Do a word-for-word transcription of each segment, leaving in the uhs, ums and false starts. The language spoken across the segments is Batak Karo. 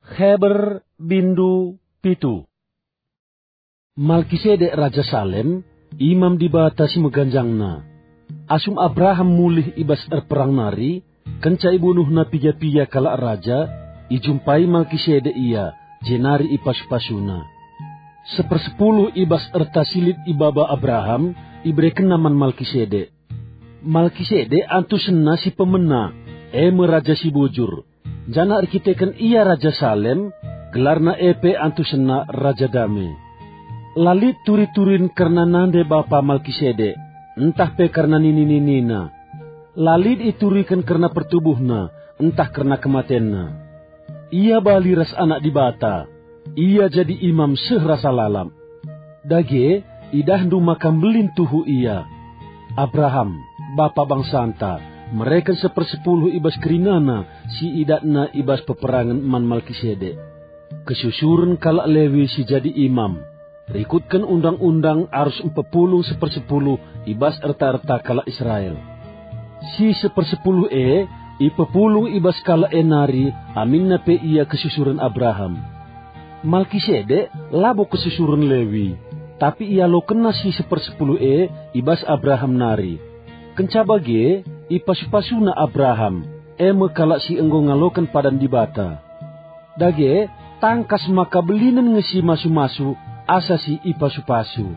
Heber bindu pitu. Malkisedek Raja Salem, imam Dibata si meganjangna. Asum Abraham mulih i bas erperang nari, kenca ibunuhna piga-piga kalak raja, ijumpai Malkisedek ia, jenari ipasu-pasuna. Sepersepuluh i bas erta si lit ibaba Abraham, iberekenna man Malkisedek. Malkisedek antusenna si pemena, e me raja si bujur. Janah erkiteken ia Raja Salem, gelarna e pe antusenna Raja Dame. La lit turi-turin kerna nande bapa Malkisedek, ntah pe kerna nini-ninina. La lit ituriken kerna pertubuhna, ntah kerna kematenna. Ia bali ras Anak Dibata. Ia jadi imam seh rasa lalap. Dage, idahndu maka mbelin tuhu ia. Abraham, bapa bangsanta, mereken sepersepuluh i bas kerinana si idatna i bas peperangen man Malkisedek. Kesusuren kalak Lewi si jadi imam, rikutken undang-undang arus mpepulung sepersepuluh i bas erta-erta kalak Israel. Si sepersepuluh e ipepulung i bas kalak e nari aminna pe ia kesusuren Abraham. Malkisedek labo kesusuren Lewi, tapi ialokenna si sepersepuluh e i bas Abraham nari. Kenca bage, ipasu-pasuna Abraham, e me kalak si enggo ngaloken padan Dibata. Dage, tangkas maka belinen nge si masu-masu asa si ipasu-pasu.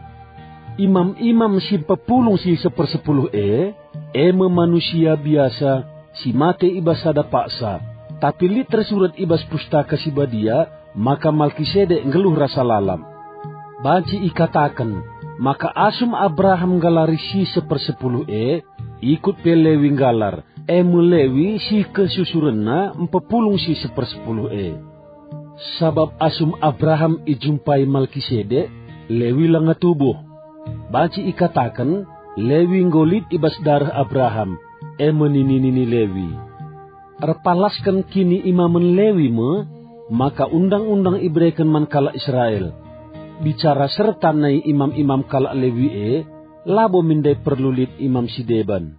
Imam-imam si mpepulung si sepersepuluh e, e me manusia biasa si mate i bas sada paksa, tapi lit tersurat i bas Pustaka Si Badia maka Malkisedek nggeluh rasa lalap. Banci ikataken maka asum Abraham nggalari si sepersepuluh e, ikut pe Lewi nggalar, e me Lewi si kesusurenna mpepulung si sepersepuluh e. Sabap asum Abraham ijumpai Malkisedek, Lewi langa tubuh. Banci ikataken, Lewi enggo lit i bas dareh Abraham, e me nini-nini Lewi. Erpalasken kiniimamen Lewi me maka undang-undang ibereken man kalak Israel. Bicara serta nai imam-imam kalak Lewi e, labo min ndai perlu lit imam si deban.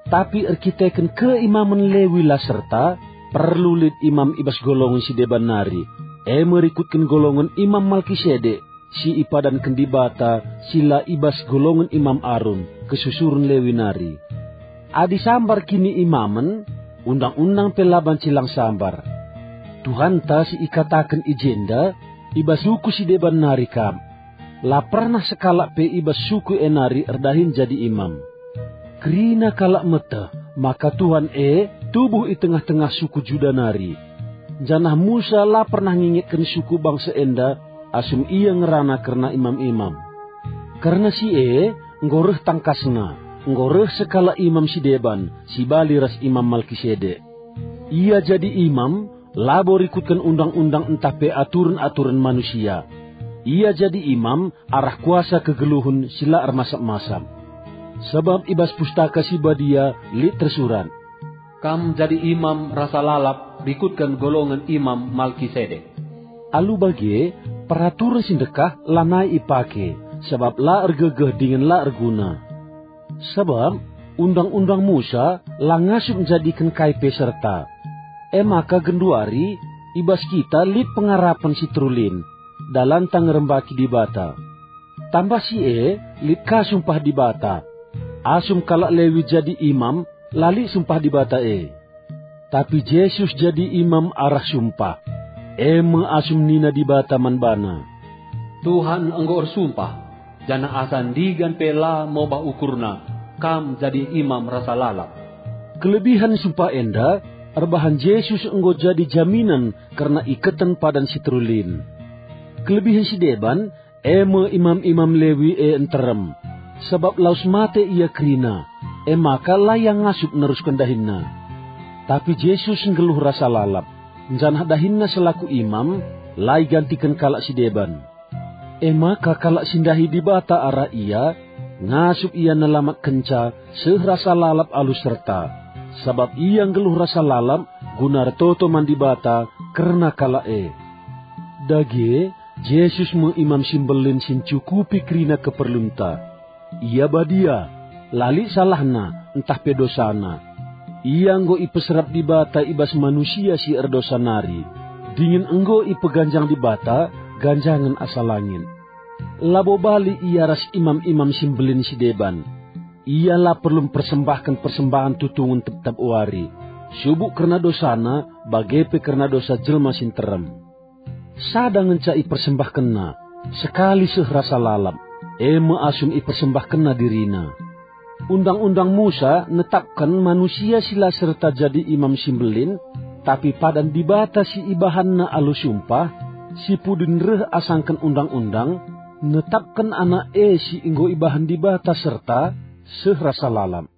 Tapi erkiteken keimamen Lewi la serta, perlu lit imam i bas golongen si deban nari, e me rikutken golongen Imam Malkisedek, si ipadanken Dibata si la i bas golongen Imam Arun, kesusuren Lewi nari. Adi sambar kiniimamen, undang-undang pe la banci lang sambar. Tuhanta si ikataken i jenda, i bas suku si deban nari kap. La pernah sekalak pe i bas suku e nari erdahin jadi imam. Kerina kalak meteh maka Tuhan e tubuh i tengah-tengah suku Juda nari. Janah Musa la pernah ngingetken suku bangsa enda asum ia ngerana kerna imam-imam. Kerna si e, enggo reh tangkasna, enggo reh sekalak imam si deban, si bali ras Imam Malkisedek. Ia jadi imam, labo rikutken undang-undang ntah pe aturen-aturen manusia. Ia jadi imam arah kuasa kegeluhen si la ermasap-masap. Sabap i bas Pustaka Si Badia lit tersurat, "Kam jadi imam rasa lalap rikutken golongen Imam Malkisedek." Alu bage, peraturen si ndekah lanai ipake, sabap la ergegeh dingen la erguna. Sabap Undang-undang Musa la ngasup njadiken kai pe serta. E maka genduari, i bas kita lit pengarapen si terulin, dalanta ngerembaki Dibata. Tambah si e, lit ka sumpah Dibata. Asum kalak Lewi jadi imam, la lit sumpah Dibata e. Tapi Jesus jadi imam arah sumpah. E me asum nina Dibata man bana, "Tuhan enggo ersumpah, janah asa ndigan pe la mobah ukurna, kam jadi imam rasa lalap." Kelebihen sumpah enda erbahan Jesus enggo jadi jaminan kerna iketen padan si terulin. Kelebihen si deban, e me imam-imam Lewi e nterem, sabap lawes mate ia kerina, e maka la ia ngasup nerusken dahinna. Tapi Jesus nggeluh rasa lalap, janah dahinna selaku imam la igantiken kalak si deban. E maka kalak si ndahi Dibata arah ia, ngasup ia nelamatkenca seh rasa lalap alu serta, sabap ia nggeluh rasa lalap guna ertoto man Dibata kerna kalak e. Dage, Jesus me Imam si Mbelin si ncukupi kerina keperlunta. Ia badia, la lit salahna ntah pe dosana. Ia enggo ipeserap Dibata i bas manusia si erdosa nari. dingen enggo ipeganjang Dibata ganjangen asa langit. Labo bali ia ras imam-imam si mbelin si deban. Ia la perlu mpersembahken persembahen tutungen tep-tep wari, subuk kerna dosana, bage pe kerna dosa jelma si nterem. Sada ngenca ipersembahkenna, sekali seh rasa lalap, e me asum ipersembahkenna dirina. Undang-undang Musa netapken manusia si la serta jadi imam si mbelin, tapi padan Dibata si ibahanna alu sumpah, si pudin reh asangken undang-undang, netapken Anak e si enggo ibahan Dibata serta seh rasa lalap.